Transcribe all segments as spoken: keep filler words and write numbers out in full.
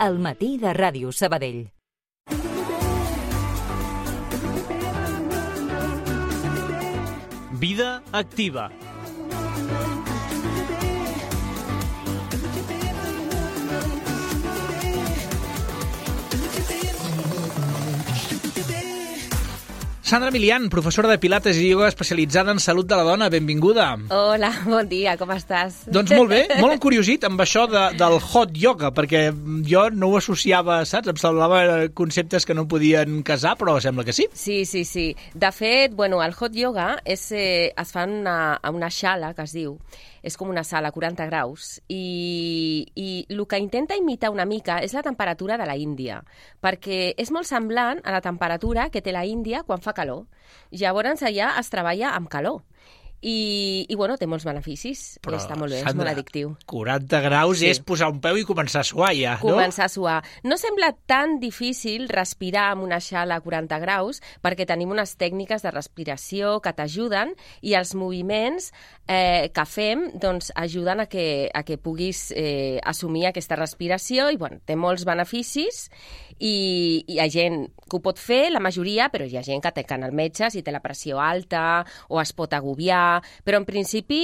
al matí de Ràdio Sabadell. Vida activa. Sandra Milian, professora de Pilates i ioga especialitzada en salut de la dona. Benvinguda. Hola, bon dia, com estàs? Doncs molt bé, molt encuriosit amb això de, del hot yoga, perquè jo no ho associava, saps? Em semblava conceptes que no podien casar, però sembla que sí. Sí, sí, sí. De fet, bueno, el hot yoga és, eh, es fa en una, en una xala, que es diu. És com una sala a quaranta graus i, i el que intenta imitar una mica és la temperatura de la Índia, perquè és molt semblant a la temperatura que té la Índia quan fa calor. Llavors allà es treballa amb calor. I, i bueno, té molts beneficis. Però, està molt bé, Sandra, és molt addictiu. quaranta graus sí. És posar un peu i començar a suar ja, no? Començar a suar. No sembla tan difícil respirar amb una xala a quaranta graus perquè tenim unes tècniques de respiració que t'ajuden i els moviments eh, que fem doncs, ajuden a que, a que puguis eh, assumir aquesta respiració i bueno, té molts beneficis i, i hi ha gent que ho pot fer, la majoria, però hi ha gent que té que anar al metge si té la pressió alta o es pot agobiar. Però en principi,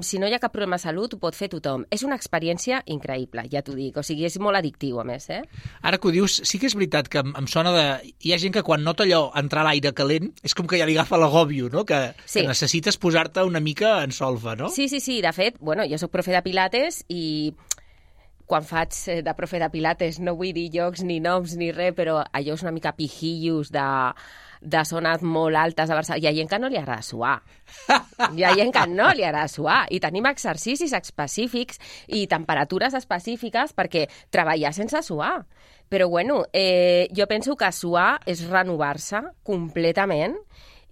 si no hi ha cap problema de salut, ho pot fer tothom. És una experiència increïble, ja t'ho dic. O sigui, és molt addictiu, a més, eh? Ara que ho dius, sí que és veritat que em sona de... Hi ha gent que quan nota allò entrar l'aire calent, és com que ja li agafa l'agòbio, no? Que, sí. que necessites posar-te una mica en solfa, no? Sí, sí, sí. De fet, bueno, jo soc profe de Pilates i quan faig de profe de Pilates no vull dir llocs ni noms ni res, però allò és una mica pijillos de... de zones molt altes a Barcelona. Hi ha gent que no li agrada suar. Hi ha gent que no li agrada suar. I tenim exercicis específics i temperatures específiques perquè treballar sense suar. Però, bueno, eh, jo penso que suar és renovar-se completament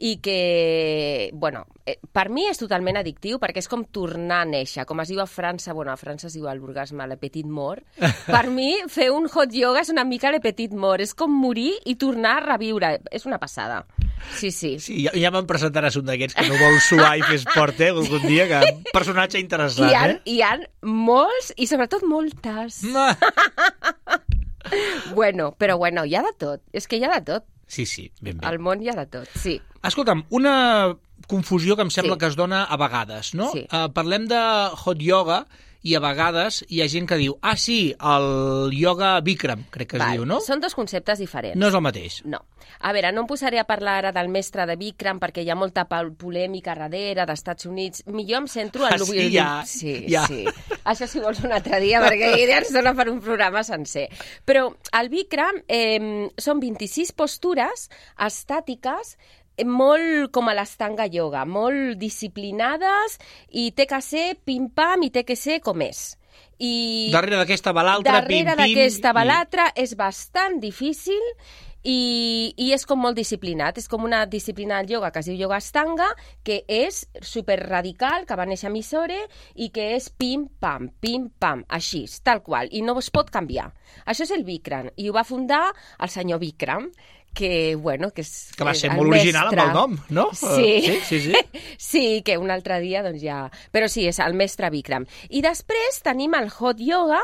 i que, bueno, eh, per mi és totalment addictiu perquè és com tornar a néixer. Com es diu a França, bueno, a França es diu l'orgasme, le petit mort. Per mi, fer un hot yoga és una mica le petit mort. És com morir i tornar a reviure. És una passada. Sí, sí. Sí, ja, ja me'n presentaràs un d'aquests que no vol suar i fer esport, eh, algun dia, que un personatge interessant, hi ha, eh? Hi ha molts, i sobretot moltes. Bueno, però bueno, hi ha de tot. És que hi ha de tot. Sí, sí, ben bé. Al món hi ha de tot, sí. Escolta'm, una confusió que em sembla sí. que es dona a vegades, no? Sí. Uh, parlem de hot yoga i a vegades hi ha gent que diu ah, sí, el yoga Bikram, crec que es Val. diu, no? Són dos conceptes diferents. No és el mateix. No. A veure, no em posaré a parlar ara del mestre de Bikram perquè hi ha molta polèmica darrere d'Estats Units. Millor em centro en... Ah, sí, ja. Sí, ja. sí. Això si vols un altre dia, perquè ja ens dona per un programa sencer. Però el Bikram eh, són vint-i-sis postures estàtiques molt com a l'Astanga Yoga, molt disciplinades i té que ser pim-pam i té que ser com és. I darrere d'aquesta va l'altra, pim-pim... Darrere d'aquesta va l'altra i... és bastant difícil i, i és com molt disciplinat. És com una disciplina del yoga que es diu yoga Astanga, que és superradical, que va néixer a Mysore i que és pim-pam, pim-pam, així, tal qual, i no es pot canviar. Això és el Bikram, i ho va fundar el senyor Bikram, que, bueno, que és que va ser el molt original mestre. Amb el nom, no? Sí. Uh, sí, sí, sí. Sí, que un altre dia, doncs ja... Però sí, és el mestre Bikram. I després tenim el hot yoga,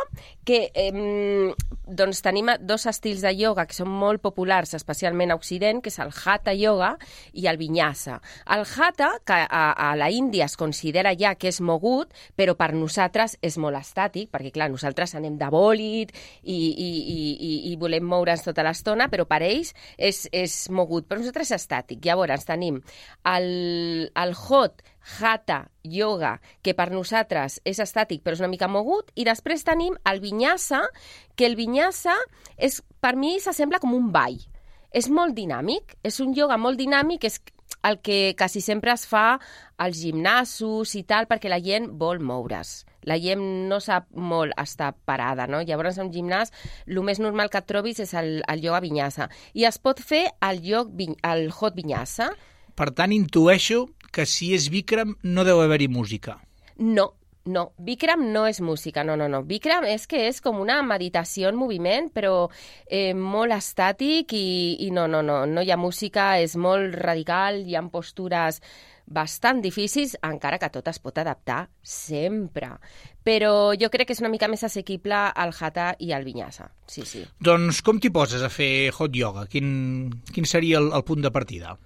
que eh, doncs tenim dos estils de yoga que són molt populars, especialment a Occident, que és el Hatha yoga i el Vinyasa. El Hatha, que a, a la Índia es considera ja que és mogut, però per nosaltres és molt estàtic, perquè, clar, nosaltres anem de bòlit i, i, i, i, i volem moure'ns tota l'estona, però per ells és, és mogut, però nosaltres és estàtic. Llavors tenim el, el hot Hatha yoga, que per nosaltres és estàtic però és una mica mogut, i després tenim el Vinyasa, que el Vinyasa és, per mi s'assembla com un ball. És molt dinàmic, és un yoga molt dinàmic, és el que quasi sempre es fa als gimnasos i tal, perquè la gent vol moure's. La gent no sap molt estar parada, no? Llavors, en un gimnàs, el més normal que et trobis és el, el yoga Vinyasa. I es pot fer el, yoga, el hot Vinyasa. Per tant, intueixo que si és Bikram no deu haver-hi música. No, no. Bikram no és música, no, no, no. Bikram és que és com una meditació en moviment, però eh, molt estàtic i, i no, no, no. No hi ha música, és molt radical, hi ha postures bastant difícils, encara que tot es pot adaptar sempre. Però jo crec que és una mica més assequible al Hatha i al Vinyasa. Sí, sí. Doncs com t'hi poses a fer hot yoga? Quin, quin seria el, el punt de partida?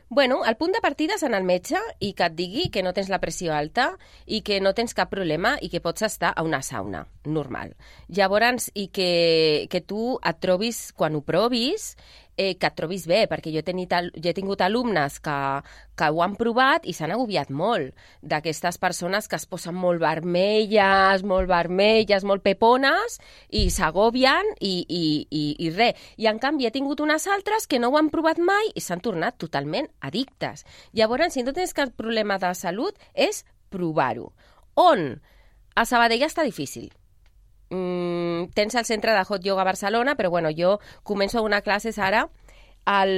Bueno, el punt de partida és anar al metge i que et digui que no tens la pressió alta i que no tens cap problema i que pots estar a una sauna normal. Llavors, i que, que tu et trobis, quan ho provis, eh, que et trobis bé, perquè jo he, tenit, jo he tingut alumnes que, que ho han provat i s'han agobiat molt, d'aquestes persones que es posen molt vermelles, molt vermelles, molt pepones, i s'agobien i, i, i, i res. I en canvi he tingut unes altres que no ho han provat mai i s'han tornat totalment addictes. Llavors, si no tens cap problema de salut, és provar-ho. On? A Sabadell està difícil. Mm, tens el centre de Hot Yoga a Barcelona, però bueno, jo començo a donar classes ara al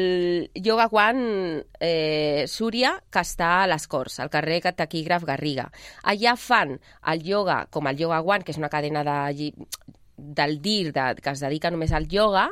Yoga One eh, Súria, que està a les Corts, al carrer Taquígraf Garriga. Allà fan el yoga, com el Yoga One, que és una cadena de, del D I R de, que es dedica només al yoga,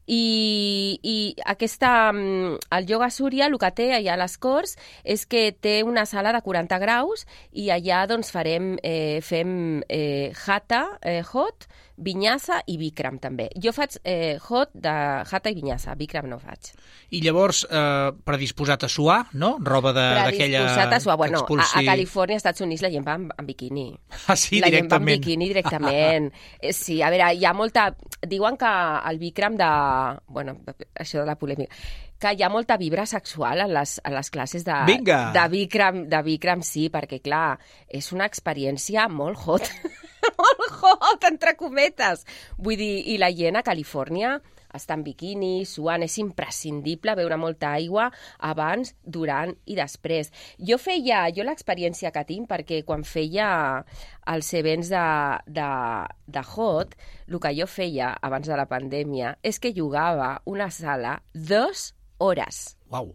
i, i aquesta, el Yoga Súria, el que té allà a les Corts és que té una sala de quaranta graus i allà doncs farem, eh, fem eh, Hatha, eh, Hot, Vinyasa i Bikram també. Jo faig eh, Hot de Hatha i Vinyasa, Bikram no faig. I llavors, eh, predisposat a suar, no? Roba d'aquella... Predisposat a suar. Bueno, expulsi... a, a Califòrnia, als Estats Units, la gent va en, en biquini. Ah, sí, la directament. La gent va en biquini directament. Sí, a veure, hi ha molta... Diuen que el Bikram de... Bueno, això de la polèmica, que hi ha molta vibra sexual en les, en les classes de, de, Bikram, de Bikram, sí, perquè, clar, és una experiència molt hot, molt hot, entre cometes. Vull dir, i la gent a Califòrnia està en biquini, suant, és imprescindible beure molta aigua abans, durant i després. Jo feia, jo l'experiència que tinc, perquè quan feia els events de, de, de Hot, el que jo feia abans de la pandèmia és que jugava una sala dos hores. Uau.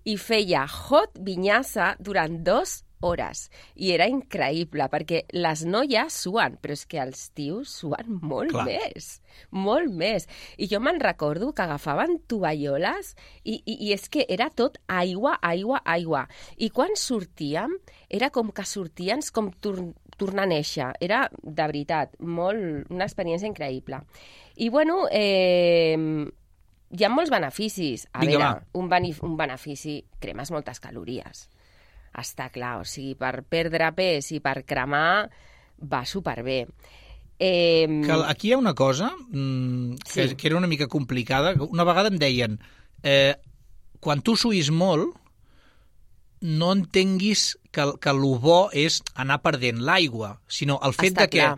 I feia Hot Vinyasa durant dos hores. I era increïble, perquè les noies suen, però és que els tios suen molt Clar. més, molt més. I jo me'n recordo que agafaven tovalloles i, i, i és que era tot aigua, aigua, aigua. I quan sortíem, era com que sortien com tor tornar a néixer. Era, de veritat, molt, una experiència increïble. I, bueno, eh, hi ha molts beneficis. A Vinga, veure, un, un benefici, cremes moltes calories. Està clar, o sigui, per perdre pes i per cremar va superbé. Eh... Que aquí hi ha una cosa mmm, que, sí. que era una mica complicada. Una vegada em deien, eh, quan tu suïs molt, no entenguis que, que el bo és anar perdent l'aigua, sinó el fet Està de que,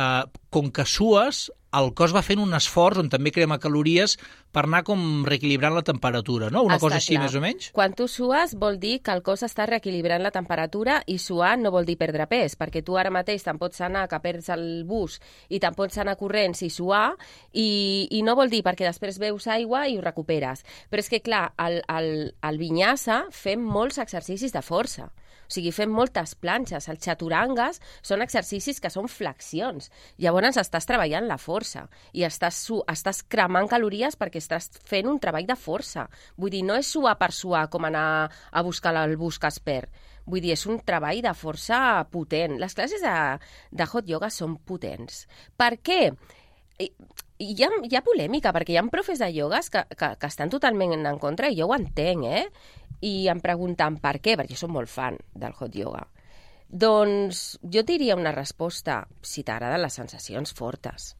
eh, com que sues, el cos va fent un esforç on també crema calories per anar com reequilibrant la temperatura, no? Una Està cosa així, clar. més o menys? Quan tu sues vol dir que el cos està reequilibrant la temperatura i suar no vol dir perdre pes, perquè tu ara mateix te'n pots anar que perds el bus i te'n pots anar corrents i suar i, i no vol dir perquè després beus aigua i ho recuperes. Però és que, clar, al, al, al Vinyasa fem molts exercicis de força. O sigui, fem moltes planxes. Els xaturangues són exercicis que són flexions. Llavors estàs treballant la força i estàs, estàs cremant calories perquè estàs fent un treball de força. Vull dir, no és suar per suar com anar a buscar el bus que es perd. Vull dir, és un treball de força potent. Les classes de, de hot yoga són potents. Per què? Hi ha, hi ha polèmica, perquè hi ha profes de iogues que, que, que estan totalment en contra, i jo ho entenc, eh? I em pregunten per què, perquè jo soc molt fan del hot yoga. Doncs jo diria una resposta, si t'agraden les sensacions fortes.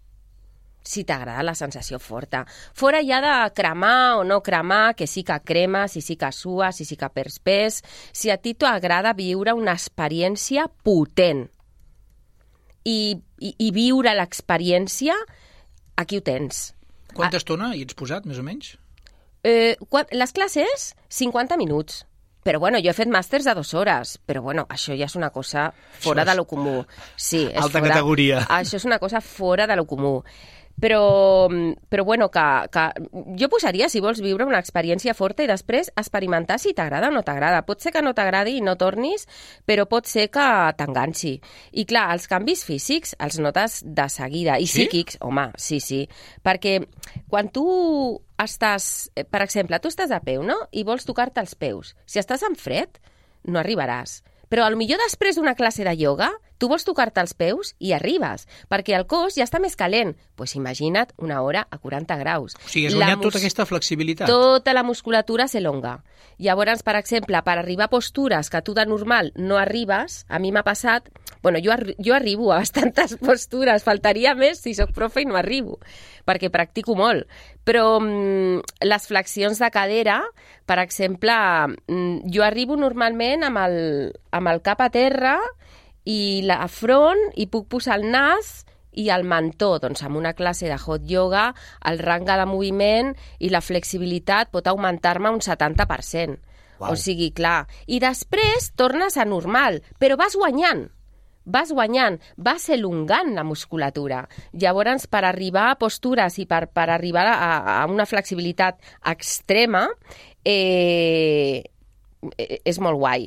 Si t'agrada la sensació forta. Fora ja de cremar o no cremar, que sí que cremes, si sí que sues, si sí que perds pes, si a ti t'agrada viure una experiència potent i, i, i viure l'experiència, aquí ho tens. Quanta estona hi ets posat, més o menys? Eh, quan, les classes, cinquanta minuts. Però bueno, jo he fet màsters de dues hores, però bueno, això ja és una cosa fora de lo comú. Sí, és alta fora, categoria. Això és una cosa fora de lo comú. Però, però bueno, que, que jo posaria, si vols viure una experiència forta i després experimentar si t'agrada o no t'agrada. Pot ser que no t'agradi i no tornis, però pot ser que t'enganxi. I clar, els canvis físics els notes de seguida. I sí? psíquics, home, sí, sí. Perquè quan tu estàs, per exemple, tu estàs de peu, no? I vols tocar-te els peus. Si estàs en fred, no arribaràs. Però potser després d'una classe de ioga, tu vols tocar-te els peus i arribes, perquè el cos ja està més calent. Doncs pues imagina't una hora a quaranta graus. O sigui, has guanyat mus... tota aquesta flexibilitat. Tota la musculatura s'elonga. Llavors, per exemple, per arribar a postures que tu de normal no arribes, a mi m'ha passat... Bueno, jo, arri... jo arribo a bastantes postures, faltaria més si sóc profe i no arribo, perquè practico molt. Però mm, les flexions de cadera, per exemple, mm, jo arribo normalment amb el, amb el cap a terra i la front, i puc posar el nas i el mentó. Doncs amb una classe de hot yoga, el rang de moviment i la flexibilitat pot augmentar-me un setanta per cent. Wow. O sigui, clar. I després tornes a normal, però vas guanyant. Vas guanyant, vas elongant la musculatura. Llavors, per arribar a postures i per, per arribar a, a una flexibilitat extrema, eh, és molt guai.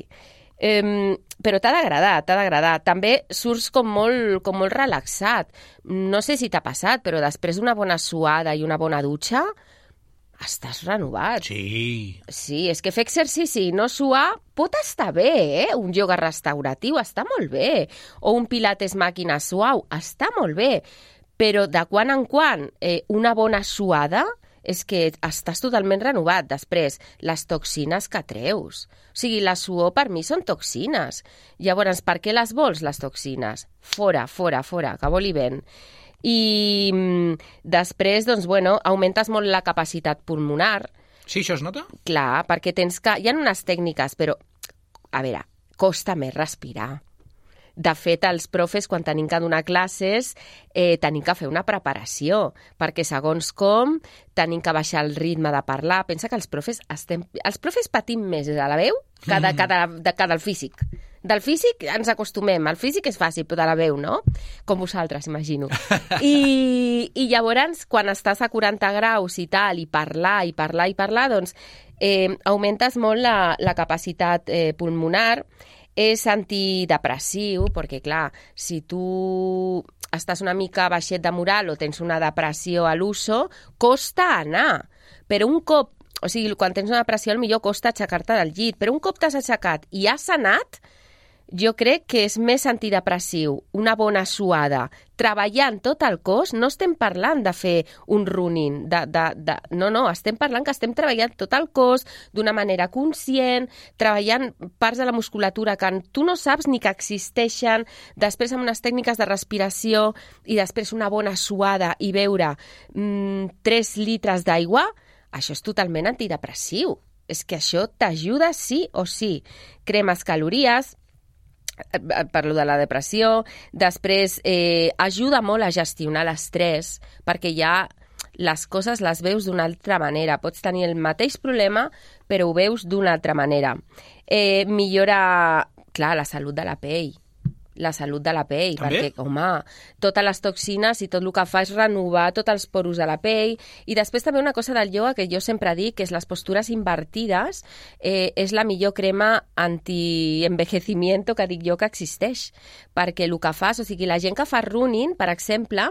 Eh, però t'ha d'agradar, t'ha d'agradar. També surts com molt, com molt relaxat. No sé si t'ha passat, però després d'una bona suada i una bona dutxa, estàs renovat. Sí. Sí, és que fer exercici i no suar pot estar bé, eh? Un ioga restauratiu està molt bé. O un pilates màquina suau està molt bé. Però de quan en quan eh, una bona suada és que estàs totalment renovat. Després, les toxines que treus. O sigui, la suor per mi són toxines. Llavors, per què les vols, les toxines? Fora, fora, fora, que voli vent. I després, doncs, bueno, augmentes molt la capacitat pulmonar. Sí, això es nota? Clar, perquè tens que... Hi ha unes tècniques, però, a veure, costa més respirar. De fet, els profes, quan tenim que donar classes, eh, tenim que fer una preparació, perquè segons com tenim que baixar el ritme de parlar. Pensa que els profes estem... Els profes patim més de la veu que, de, que, de, de, que del físic. Del físic ens acostumem, el físic és fàcil, però de la veu, no? Com vosaltres, imagino. I, i llavors, quan estàs a quaranta graus i tal, i parlar, i parlar, i parlar, doncs eh, augmentes molt la, la capacitat eh, pulmonar. És antidepressiu, perquè, clar, si tu estàs una mica baixet de moral o tens una depressió a l'uso, costa anar. Però un cop, o sigui, quan tens una depressió, potser costa aixecar-te del llit, però un cop t'has aixecat i has sanat, jo crec que és més antidepressiu, una bona suada, treballant tot el cos. No estem parlant de fer un running, de, de, de... no, no, estem parlant que estem treballant tot el cos d'una manera conscient, treballant parts de la musculatura que tu no saps ni que existeixen, després amb unes tècniques de respiració i després una bona suada i beure mmm, tres litres d'aigua. Això és totalment antidepressiu. És que això t'ajuda sí o sí. Cremes calories, parlo de la depressió, després eh, ajuda molt a gestionar l'estrès, perquè ja les coses les veus d'una altra manera. Pots tenir el mateix problema, però ho veus d'una altra manera. Eh, millora, clar, la salut de la pell. La salut de la pell, també? Perquè, home, totes les toxines i tot el que fa és renovar tots els poros de la pell. I després també una cosa del ioga que jo sempre dic, que és les postures invertides, eh, és la millor crema anti-envejecimiento que dic jo que existeix. Perquè el que fas, o sigui, la gent que fa running, per exemple,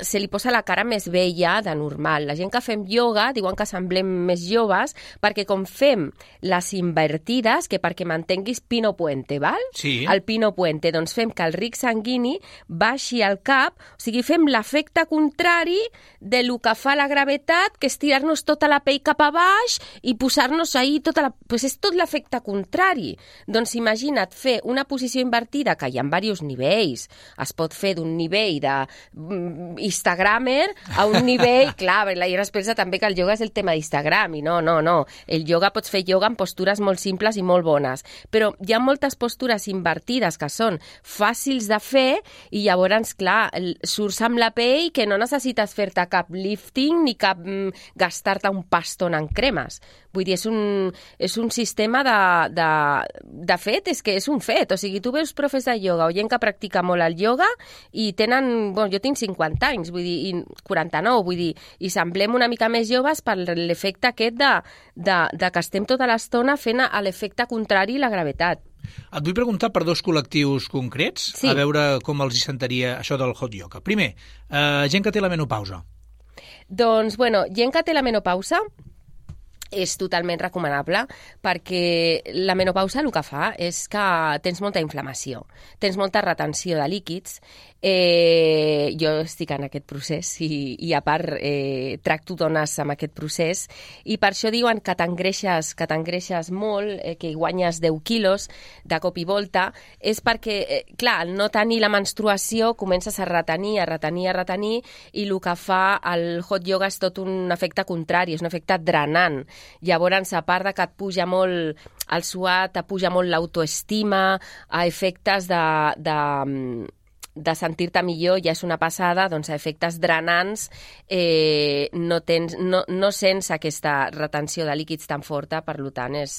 se li posa la cara més vella de normal. La gent que fem ioga diuen que semblem més joves perquè com fem les invertides, que perquè m'entenguis Pino Puente, val? Sí. El Pino Puente, doncs fem que el ric sanguini baixi al cap, o sigui, fem l'efecte contrari de lo que fa la gravetat, que és tirar-nos tota la pell cap a baix i posar-nos ahí tota la... Pues és tot l'efecte contrari. Doncs imagina't fer una posició invertida, que hi ha diversos nivells. Es pot fer d'un nivell de Instagramer a un nivell, clar, la Iara es pensa també que el ioga és el tema d'Instagram, i no, no, no. El ioga pots fer ioga amb postures molt simples i molt bones, però hi ha moltes postures invertides que són fàcils de fer i llavors, clar, surts amb la pell que no necessites fer-te cap lifting ni cap mm, gastar-te un paston en cremes. Vull dir, és un, és un sistema de, de, de fet, és que és un fet. O sigui, tu veus profes de ioga o gent que practica molt el ioga i tenen, bueno, jo tinc cinquanta anys, vull dir, i quaranta-nou, vull dir, i semblem una mica més joves per l'efecte aquest de, de, de que estem tota l'estona fent l'efecte contrari i la gravetat. Et vull preguntar per dos col·lectius concrets, sí. A veure com els hi sentaria això del hot yoga. Primer, eh, gent que té la menopausa. Doncs, bueno, gent que té la menopausa, és totalment recomanable perquè la menopausa el que fa és que tens molta inflamació, tens molta retenció de líquids. Eh, jo estic en aquest procés i, i a part eh, tracto dones amb aquest procés i per això diuen que t'engreixes, que t'engreixes molt, eh, que guanyes deu quilos de cop i volta, és perquè, eh, clar, al no tenir la menstruació comences a retenir, a retenir, a retenir i el que fa el hot yoga és tot un efecte contrari, és un efecte drenant. Llavors, a part de que et puja molt el suat, et puja molt l'autoestima, a efectes de, de, de sentir-te millor, ja és una passada, doncs a efectes drenants eh, no, tens, no, no sents aquesta retenció de líquids tan forta, per tant és...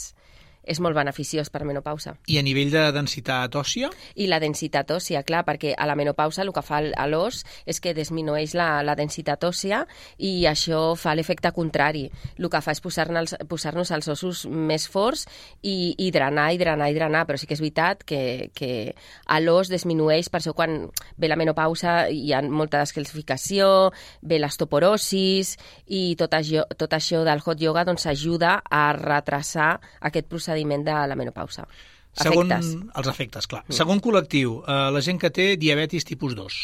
és molt beneficiós per menopausa. I a nivell de densitat òssia? I la densitat òssia, clar, perquè a la menopausa el que fa a l'os és que disminueix la, la densitat òssia i això fa l'efecte contrari. El que fa és posar-nos posar-nos els ossos més forts i, i drenar, i drenar, i drenar, però sí que és veritat que, que a l'os disminueix, per això quan ve la menopausa hi ha molta descalcificació, ve l'osteoporosis i tot això, tot això del hot yoga doncs ajuda a retrasar aquest procediment de la menopausa. Segon, efectes. Els efectes, clar. Mm. Segon col·lectiu, eh, la gent que té diabetis tipus dos.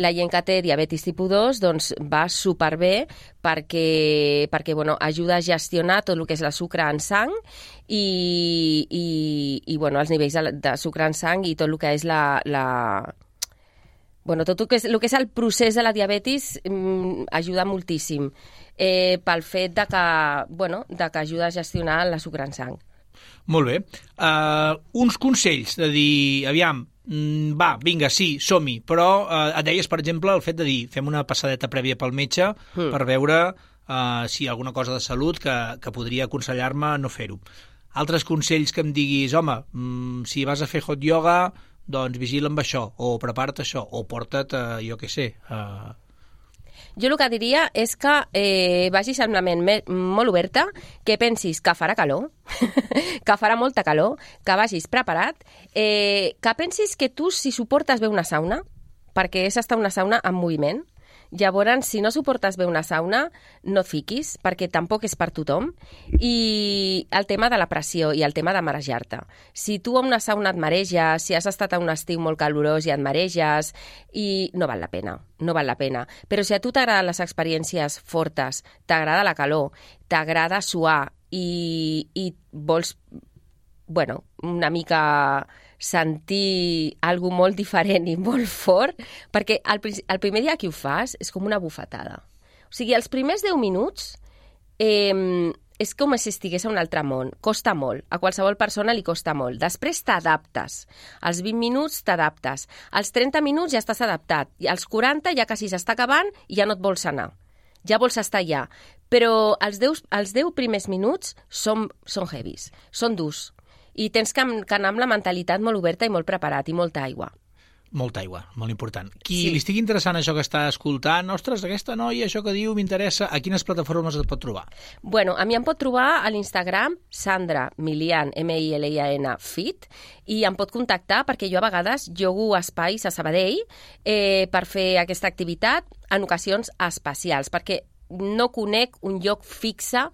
La gent que té diabetis tipus dos doncs, va superbé perquè, perquè bueno, ajuda a gestionar tot el que és la sucre en sang i, i, i bueno, els nivells de, de sucre en sang i tot el que és la... la Bueno, tot el que és, el que és el procés de la diabetis mm, ajuda moltíssim eh, pel fet de que, bueno, de que ajuda a gestionar la sucre en sang. Molt bé. Uh, uns consells de dir, aviam, mm, va, vinga, sí, som-hi, però uh, et deies, per exemple, el fet de dir, fem una passadeta prèvia pel metge mm. per veure uh, si hi ha alguna cosa de salut que, que podria aconsellar-me no fer-ho. Altres consells que em diguis, home, mm, si vas a fer hot yoga, doncs vigila amb això, o prepara't això, o porta't, uh, jo què sé... Uh... Jo el que diria és que eh, vagis amb la ment molt oberta, que pensis que farà calor, que farà molta calor, que vagis preparat, eh, que pensis que tu si suportes bé una sauna, perquè és estar una sauna en moviment. Llavors, si no suportes bé una sauna, no et fiquis, perquè tampoc és per tothom. I el tema de la pressió i el tema de marejar-te. Si tu a una sauna et mareges, si has estat a un estiu molt calorós i et mareges, i no val la pena, no val la pena. Però si a tu t'agraden les experiències fortes, t'agrada la calor, t'agrada suar i, i vols, bueno, una mica... sentir algo molt diferent i molt fort, perquè el, el primer dia que ho fas és com una bufetada. O sigui, els primers deu minuts eh, és com si estigués a un altre món. Costa molt. A qualsevol persona li costa molt. Després t'adaptes. Als vint minuts t'adaptes. Als trenta minuts ja estàs adaptat. I als quaranta ja quasi s'està acabant i ja no et vols anar. Ja vols estar allà. Però els deu, els deu primers minuts són, són heavies, són durs. I tens que, que anar amb la mentalitat molt oberta i molt preparat, i molta aigua. Molta aigua, molt important. Qui sí. li estigui interessant això que està escoltant, ostres, aquesta noia, això que diu, m'interessa, a quines plataformes et pot trobar? Bueno, a mi em pot trobar a l'Instagram, Sandra Milian, M I L I A N, Fit, i em pot contactar perquè jo a vegades jogo espais a Sabadell eh, per fer aquesta activitat en ocasions especials, perquè no conec un lloc fixe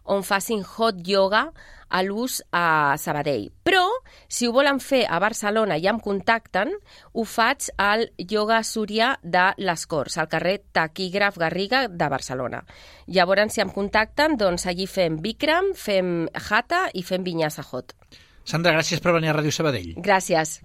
on facin hot yoga a l'ús a Sabadell. Però, si ho volen fer a Barcelona i em contacten, ho faig al Yoga Súria de les Corts, al carrer Taquígraf Garriga de Barcelona. Llavors, si em contacten, doncs allí fem Bikram, fem Hatha i fem Vinyasa Hot. Sandra, gràcies per venir a Ràdio Sabadell. Gràcies.